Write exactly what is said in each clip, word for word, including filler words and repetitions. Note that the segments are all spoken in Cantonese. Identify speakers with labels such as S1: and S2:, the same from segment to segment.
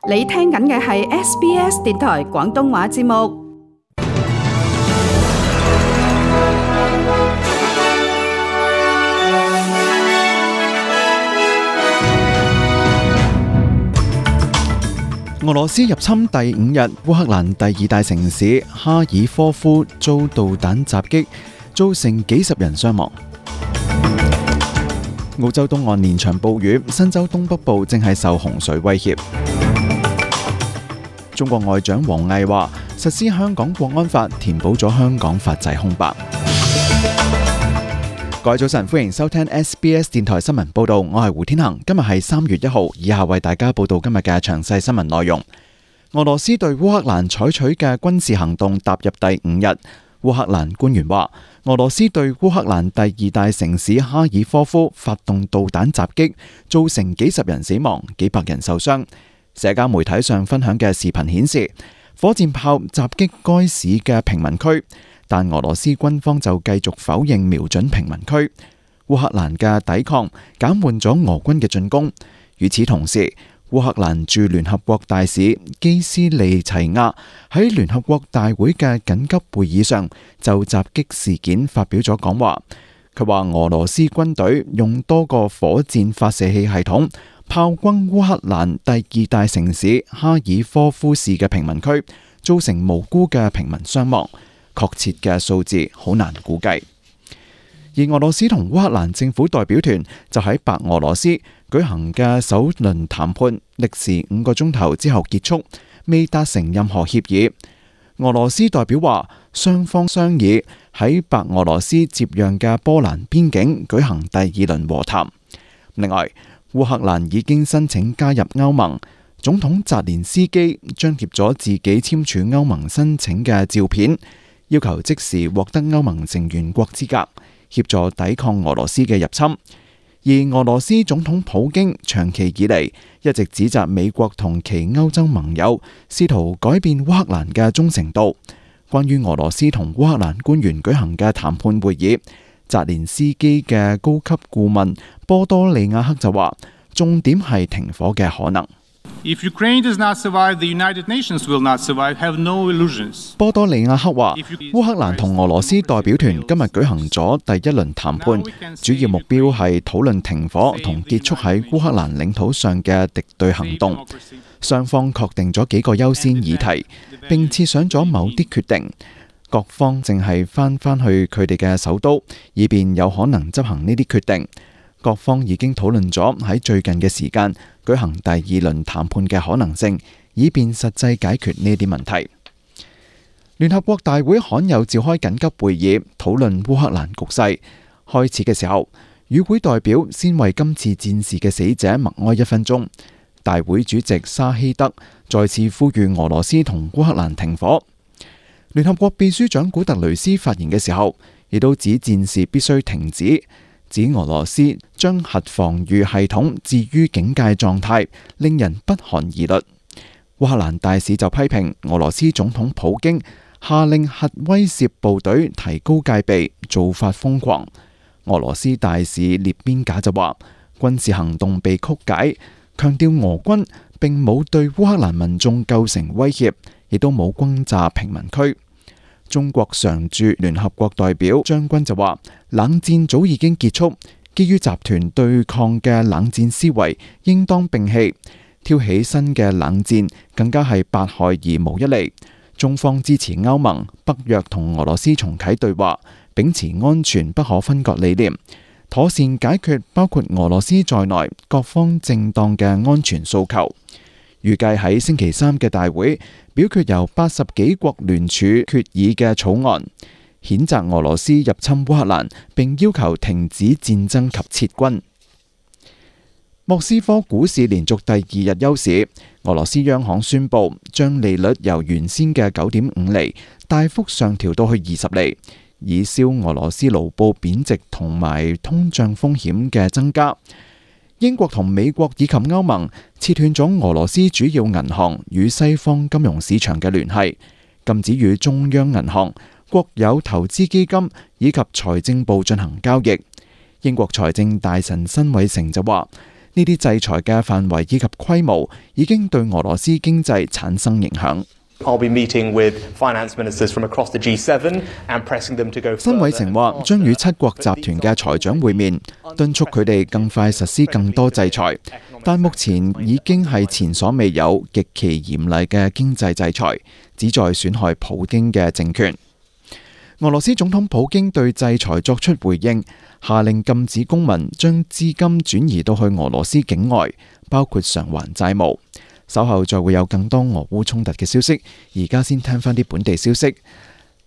S1: 你聽緊嘅係 S B S 電台廣東話節目。
S2: 俄羅斯入侵第五日，烏克蘭第二大城市哈爾科夫遭導彈襲擊，造成幾十人傷亡。澳洲東岸連場暴雨，新州東北部正係受洪水威脅。中國外長王毅話，實施香港國安法，填補咗香港法制空白。各位早晨，歡迎收聽 S B S 電台新聞報道，我係胡天恒。今日係三月一號，以下為大家報道今日嘅詳細新聞內容。俄羅斯對烏克蘭採取嘅軍事行動踏入第五日，烏克蘭官員話，俄羅斯對烏克蘭第二大城市哈爾科夫發動導彈襲擊，造成幾十人死亡，幾百人受傷。社交媒體上分享嘅視頻顯示，火箭炮襲擊該市嘅平民區，但俄羅斯軍方就繼續否認瞄準平民區。烏克蘭嘅抵抗減緩咗俄軍嘅進攻。與此同時，烏克蘭駐聯合國大使基斯利齊亞喺聯合國大會嘅緊急會議上就襲擊事件發表咗講話。佢話俄羅斯軍隊用多個火箭發射器系統炮轟烏克蘭第二大城市哈爾科夫市嘅平民區，造成無辜嘅平民傷亡。確切嘅數字好難估計。而俄羅斯同烏克蘭政府代表團就喺白俄羅斯舉行嘅首輪談判，歷時五個鐘頭之後結束，未達成任何協議。俄羅斯代表話，雙方商議喺白俄羅斯接壤嘅波蘭邊境舉行第二輪和談。另外，烏克蘭已經申請加入歐盟，總統澤連斯基張貼咗自己簽署歐盟申請嘅照片，要求即時獲得歐盟成員國資格，協助抵抗俄羅斯嘅入侵。而俄羅斯總統普京長期以嚟一直指責美國同其歐洲盟友試圖改變烏克蘭嘅忠誠度。關於俄羅斯同烏克蘭官員舉行嘅談判會議，澤連斯基嘅高級顧問波多利亞克就話，重點係停火嘅可能。
S3: If Ukraine does not survive, the United Nations will not survive. Have no illusions.
S2: 波多利亞克話，烏克蘭同俄羅斯代表團今日舉行咗第一輪談判，主要目標係討論停火同結束喺烏克蘭領土上嘅敵對行動。雙方確定咗幾個優先議題，並設想咗某啲決定。各方淨係翻返去佢哋嘅首都，以便有可能執行呢啲決定。各方已經討論咗喺最近嘅時間舉行第二輪談判嘅可能性，以便實際解決呢啲問題。聯合國大會罕有召開緊急會議討論烏克蘭局勢。開始嘅時候，與會代表先為今次戰事嘅死者默哀一分鐘。大會主席沙希德再次呼籲俄羅斯同烏克蘭停火。聯合國秘書長古特雷斯發言嘅時候，亦都指戰事必須停止。指俄羅斯將核防禦系統置於警戒狀態，令人不寒而栗。烏克蘭大使就批評俄羅斯總統普京下令核威懾部隊提高戒備，做法瘋狂。俄羅斯大使列邊賈就話，軍事行動被曲解，強調俄軍並冇對烏克蘭民眾構成威脅，亦都冇轟炸平民區。中國常駐聯合國代表張軍就話，冷戰早已經結束，基於集團對抗嘅冷戰思維應當摒棄，挑起新嘅冷戰更加係百害而無一利。中方支持歐盟、北約同俄羅斯重啟對話，秉持安全不可分割理念，妥善解決包括俄羅斯在內各方正當嘅安全訴求。預計喺星期三嘅大會表決由八十幾國聯署決議嘅草案，譴責俄羅斯入侵烏克蘭，並要求停止戰爭及撤軍。莫斯科股市連續第二日休市，俄羅斯央行宣布將利率由原先嘅九點五厘大幅上調到去二十厘，以消俄羅斯盧布貶值同埋通脹風險嘅增加。英國同美國以及歐盟切斷咗俄羅斯主要銀行與西方金融市場嘅聯繫，禁止與中央銀行、國有投資基金以及財政部進行交易。英國財政大臣辛偉誠就話，呢啲制裁嘅範圍以及規模已經對俄羅斯經濟產生影響。
S4: I'll be meeting with finance ministers from across the G seven and pressing them to go further.
S2: 辛偉誠話將與七國集團嘅財長會面，敦促佢哋更快實施更多制裁，但目前已經係前所未有極其嚴厲嘅經濟制裁，旨在損害普京嘅政權。俄羅斯總統普京對制裁作出回應，下令禁止公民將資金轉移到去俄羅斯境外，包括償還債務。稍後再會有更多俄烏衝突嘅消息，而家先聽返啲本地消息。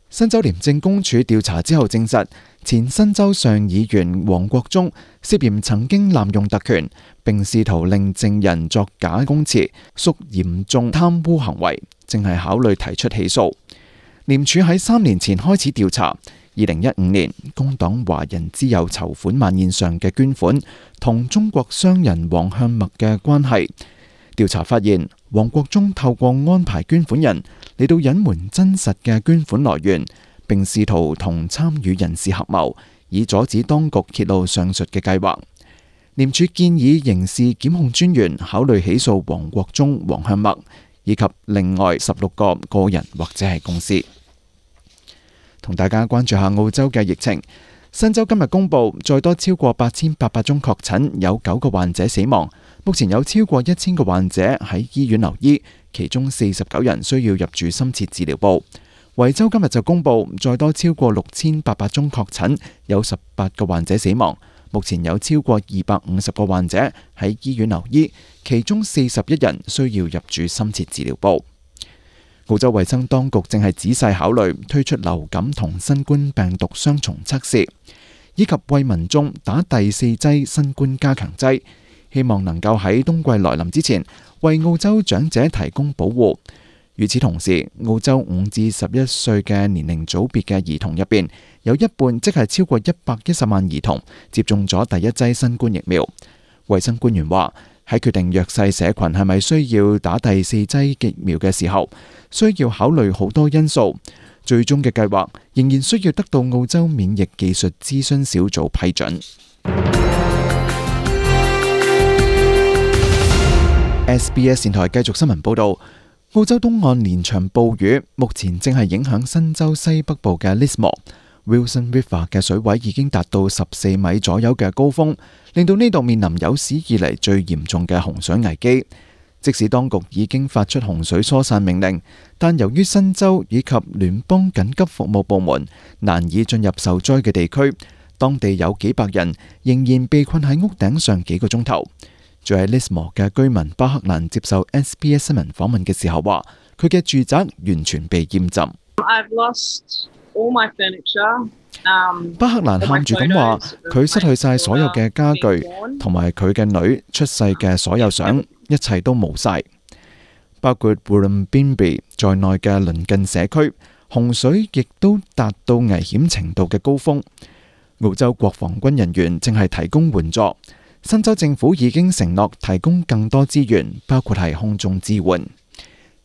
S2: 新州廉政公署調查之後證實，前新州上議員黃國忠涉嫌曾經濫用特權，並試圖令證人作假供詞，屬嚴重貪污行為，正係考慮提出起訴。廉署喺三年前開始調查，二零一五年工黨華人之友籌款晚宴上嘅捐款同中國商人王向默嘅關係。調查發現，黃國忠透過安排捐款人嚟到隱瞞真實嘅捐款來源，並試圖同參與人士合謀，以阻止當局揭露上述嘅計劃。廉署建議刑事檢控專員考慮起訴黃國忠、王向默以及另外十六個個人或者係公司。同大家關注下澳洲嘅疫情。新州今日公布再多超過八千八百宗確診，有九個患者死亡。目前有超過一千個患者喺醫院留醫，其中四十九人需要入住深切治療部。維州今日就公布再多超過六千八百宗確診，有十八個患者死亡。目前有超過二百五十個患者喺醫院留醫，其中四十一人需要入住深切治療部。澳洲衛生當局正係仔細考慮推出流感同新冠病毒雙重測試，以及為民眾打第四劑新冠加強劑，希望能夠喺冬季來臨之前為澳洲長者提供保護。與此同時，澳洲五至十一歲嘅年齡組別嘅兒童入邊，有一半即係超過一百一十萬兒童接種咗第一劑新冠疫苗。衛生官員話，喺決定弱勢社群係咪需要打第四劑疫苗嘅時候，需要考慮好多因素。最終嘅計劃仍然需要得到澳洲免疫技術諮詢小組批准。S B S 電台繼續新聞報道，澳洲東岸連場暴雨，目前正係影響新州西北部嘅 Lismore。Wilson River 嘅水位已經達到十四米左右嘅高峰，令到呢度面臨有史以嚟最嚴重嘅洪水危機。即使當局已經發出洪水疏散命令，但由於新州以及聯邦緊急服務部門難以進入受災嘅地區，當地有幾百人仍然被困喺屋頂上幾個鐘頭。住喺 Lismore 嘅居民巴克蘭接受 S B S 新聞訪問嘅時候話，佢嘅住宅完全被淹浸。
S5: I've lost all my furniture. Um,
S2: 巴克蘭喊住咁話，佢失去晒所有嘅家具，同埋佢嘅女出世嘅所有相，一切都冇晒。包括 Wollongong 在內嘅鄰近社區，洪水亦都達到危險程度嘅高峰。澳洲國防軍人員正係提供援助，新州政府已經承諾提供更多資源，包括係空中支援。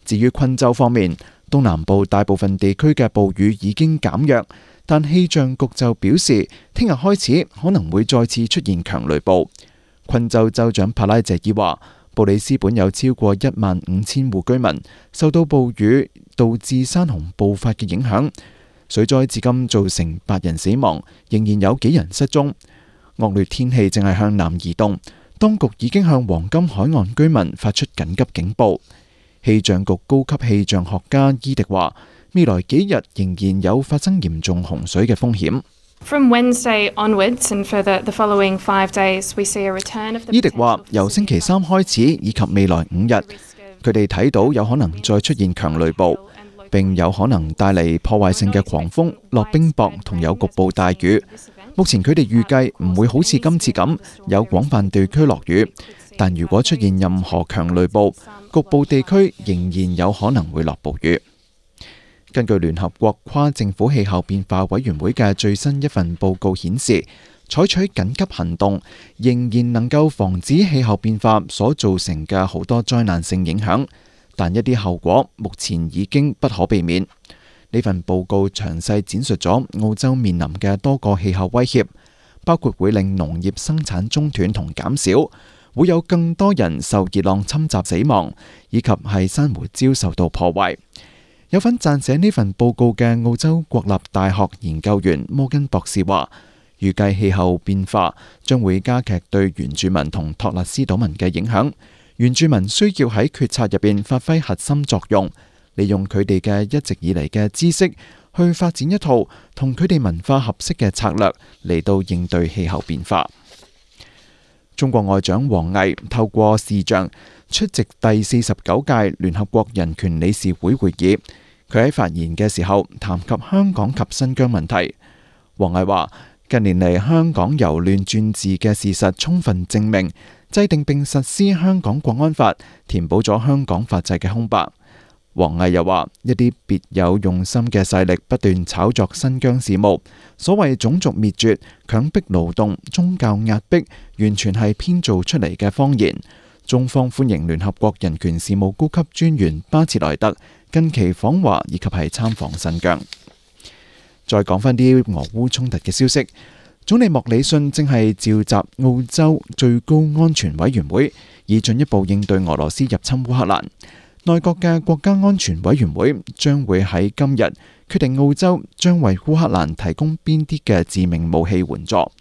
S2: 至於昆州方面，東南部大部分地區嘅暴雨已經減弱，但氣象局就表示，聽日開始可能會再次出現強雷暴。昆州州長帕拉謝爾話，布里斯本有超過一萬五千戶居民受到暴雨導致山洪暴發嘅影響，水災至今造成八人死亡，仍然有幾人失蹤。惡劣天氣正係向南移動，當局已經向黃金海岸居民發出緊急警報。氣象局高級氣象學家伊迪話，未來幾日仍然有發生嚴重洪水嘅風險。
S6: From Wednesday onwards and for the, the following five days, we see a return of the...
S2: 伊迪話，由星期三開始以及未來五日，佢哋睇到有可能再出現強雷暴，並有可能帶嚟破壞性嘅狂風、落冰雹同有局部大雨。目前佢哋預計唔會好似今次咁有廣泛地區落雨，但如果出現任何強雷暴，局部地區仍然有可能會落暴雨。根據聯合國跨政府氣候變化委員會嘅最新一份報告顯示，採取緊急行動仍然能夠防止氣候變化所造成嘅好多災難性影響，但一啲後果目前已經不可避免。呢份報告詳細展述咗澳洲面臨嘅多個氣候威脅，包括會令農業生產中斷同減少，會有更多人受熱浪侵襲死亡，以及係珊瑚礁受到破壞。有份撰寫呢份報告嘅澳洲國立大學研究員摩根博士話，預計氣候變化將會加劇對原住民同托勒斯島民嘅影響。原住民需要喺決策入邊發揮核心作用，利用佢哋嘅一直以嚟嘅知識去發展一套同佢哋文化合適嘅策略嚟到應對氣候變化。中國外長王毅透過視像出席第四十九屆聯合國人權理事會會議，佢喺發言嘅時候談及香港及新疆問題。王毅話：近年嚟香港由亂轉治嘅事實充分證明，制定並實施香港國安法填補咗香港法制嘅空白。王毅又話：一啲別有用心嘅勢力不斷炒作新疆事務，所謂種族滅絕、強迫勞動、宗教壓迫，完全係編造出嚟嘅謊言。中方歡迎聯合國人權事務高級專員巴切萊特近期訪華以及係參訪新疆。再講返啲俄烏衝突嘅消息，總理莫里遜正係召集澳洲最高安全委員會，以進一步應對俄羅斯入侵烏克蘭。內閣嘅國家安全委員會將會喺今日決定澳洲將為烏克蘭提供邊啲嘅致命武器援助。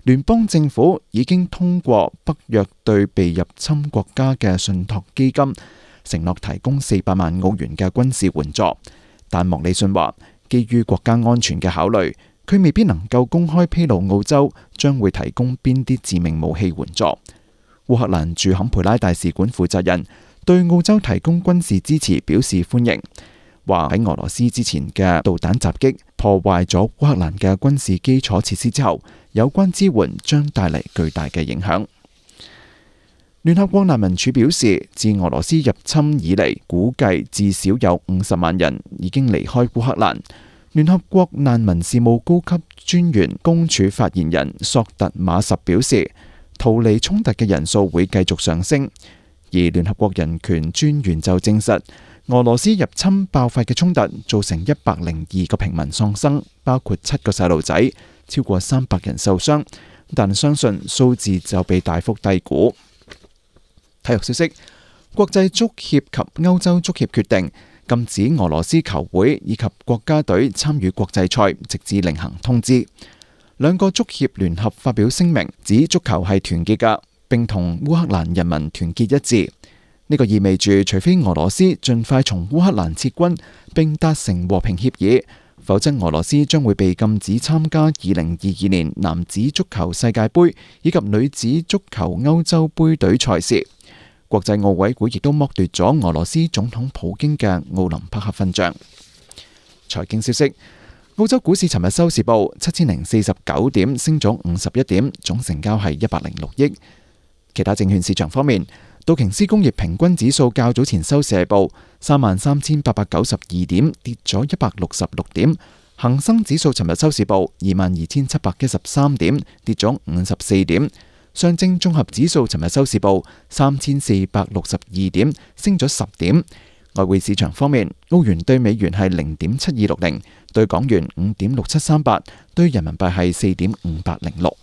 S2: 聯邦政府已經通過北約對被入侵國家嘅信託基金，承諾提供四百萬澳元嘅軍事援助。但莫里遜話，基於國家安全嘅考慮，佢未必能夠公開披露澳洲將會提供邊啲致命武器援助。烏克蘭駐坎培拉大使館負責人對澳洲提供軍事支持表示歡迎，話喺俄羅斯之前嘅導彈襲擊破壞咗烏克蘭嘅軍事基礎設施之後，有關支援將帶嚟巨大嘅影響。聯合國難民署表示，自俄羅斯入侵以嚟，估計至少有五十萬人已經離開烏克蘭。聯合國難民事務高級專員公署發言人索特馬什表示，逃離衝突嘅人數會繼續上升。而聯合國人權專員就證實，俄羅斯入侵爆發嘅衝突造成一百零二個平民喪生，包括七個細路仔，超過三百人受傷，但相信數字就被大幅低估。體育消息，國際足協及歐洲足協決定禁止俄羅斯球會以及國家隊參與國際賽，直至另行通知。兩個足協聯合發表聲明，指足球係團結㗎，並同烏克蘭人民團結一致。呢個意味住，除非俄羅斯盡快從烏克蘭撤軍並達成和平協議，否則俄羅斯將會被禁止參加二零二二年男子足球世界盃以及女子足球歐洲盃隊賽事。國際奧委會亦都剝奪咗俄羅斯總統普京嘅奧林匹克勳章。財經消息，澳洲股市尋日收市報七千零四十九點，升咗五十一點，總成交係一百零六億。其他證券市場方面，道瓊斯工業平均指數較早前收市係報三萬三千八百九十二點，跌咗一百六十六點。恒生指數尋日收市報二萬二千七百一十三點，跌咗五十四點。上證綜合指數尋日收市報三千四百六十二點，升咗十點。外匯市場方面，澳元對美元係零點七二六零，對港元五點六七三八，對人民幣係四點五八零六。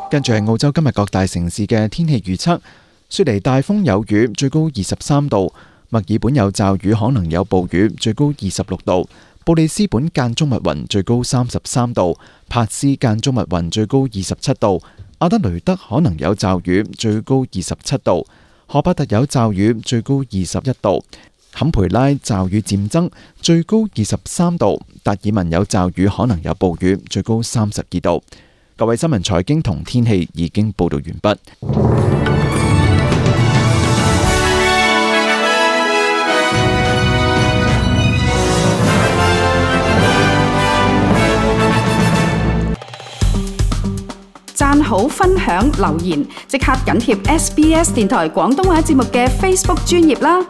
S2: 跟住係澳洲今日各大城市嘅天氣預測：雪梨大風有雨，最高二十三度；墨爾本有驟雨，可能有暴雨，最高二十六度；布里斯本間中密雲，最高三十三度；帕斯間中密雲，最高二十七度；阿德雷德可能有驟雨，最高二十七度；荷伯特有驟雨，最高二十一度；坎培拉驟雨漸增，最高二十三度；達爾文有驟雨，可能有暴雨，最高三十二度。各位新聞、財經同天氣已經報道完畢。
S1: 讚好、分享、留言，即刻緊貼 S B S 電台廣東話節目嘅 Facebook 專頁啦！